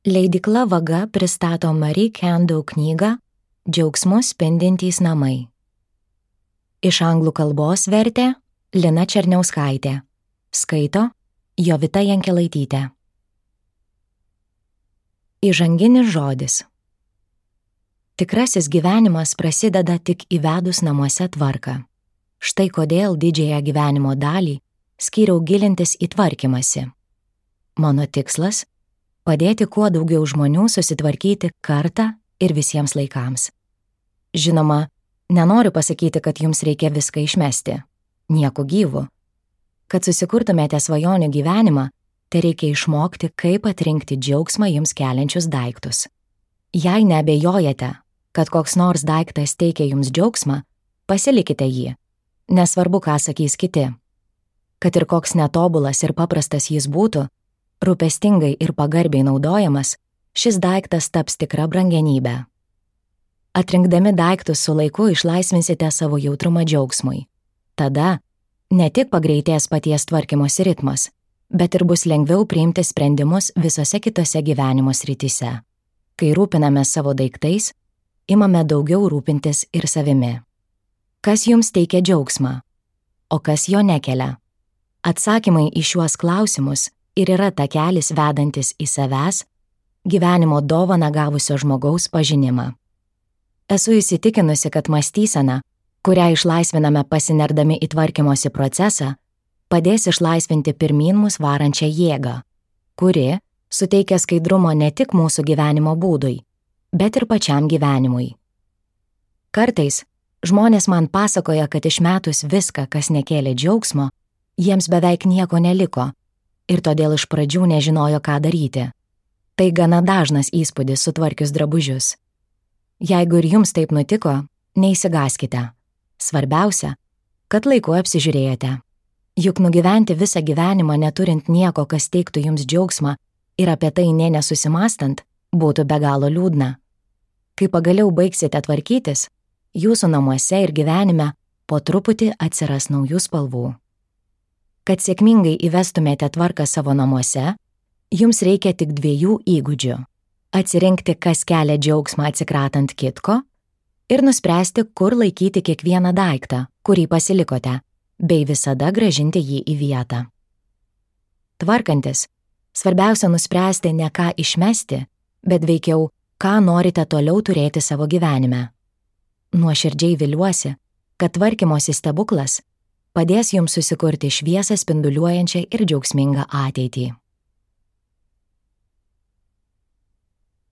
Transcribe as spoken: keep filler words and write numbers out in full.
Leidykla Vaga pristato Marie Kondo knygą Džiaugsmu spindintys namai. Iš anglų kalbos vertė Lina Černiauskaitė. Skaito Jovita Jankelaitytė. Įžanginis žodis. Tikrasis gyvenimas prasideda tik įvedus namuose tvarką. Štai kodėl didžiąją gyvenimo dalį skyriau gilintis į tvarkymąsi. Mano tikslas – padėti kuo daugiau žmonių susitvarkyti kartą ir visiems laikams. Žinoma, nenoriu pasakyti, kad jums reikia viską išmesti. Nieko gyvo. Kad susikurtumėte svajonių gyvenimą, tai reikia išmokti, kaip atrinkti džiaugsmą jums keliančius daiktus. Jei neabejojate, kad koks nors daiktas teikia jums džiaugsmą, pasilikite jį. Nesvarbu, ką sakys kiti. Kad ir koks netobulas ir paprastas jis būtų, rūpestingai ir pagarbiai naudojamas, šis daiktas taps tikra brangenybė. Atrinkdami daiktus su laiku išlaisvinsite savo jautrumą džiaugsmui. Tada ne tik pagreitės paties tvarkymosi ritmas, bet ir bus lengviau priimti sprendimus visose kitose gyvenimo srityse. Kai rūpiname savo daiktais, imame daugiau rūpintis ir savimi. Kas jums teikia džiaugsmą, o kas jo nekelia? Atsakymai į šiuos klausimus ir yra takelis vedantis į savęs, gyvenimo dovaną gavusio žmogaus pažinimą. Esu įsitikinusi, kad mąstysena, kurią išlaisviname pasinerdami į tvarkymosi procesą, padės išlaisvinti pirmyn mus varančią jėgą, kuri suteikia skaidrumo ne tik mūsų gyvenimo būdui, bet ir pačiam gyvenimui. Kartais žmonės man pasakoja, kad išmetus viską, kas nekėlė džiaugsmo, jiems beveik nieko neliko, ir todėl iš pradžių nežinojo, ką daryti. Tai gana dažnas įspūdis sutvarkius drabužius. Jeigu ir jums taip nutiko, neįsigaskite. Svarbiausia, kad laiku apsižiūrėjote. Juk nugyventi visą gyvenimą neturint nieko, kas teiktų jums džiaugsmą ir apie tai nė nesusimastant, būtų be galo liūdna. Kai pagaliau baigsite tvarkytis, jūsų namuose ir gyvenime po truputį atsiras naujų spalvų. Kad sėkmingai įvestumėte tvarką savo namuose, jums reikia tik dviejų įgūdžių – atsirinkti, kas kelia džiaugsmą atsikratant kitko ir nuspręsti, kur laikyti kiekvieną daiktą, kurį pasilikote, bei visada grąžinti jį į vietą. Tvarkantis, svarbiausia nuspręsti ne ką išmesti, bet veikiau, ką norite toliau turėti savo gyvenime. Nuoširdžiai viliuosi, kad tvarkymosi stebuklas padės jums susikurti šviesą spinduliuojančią ir džiaugsmingą ateitį.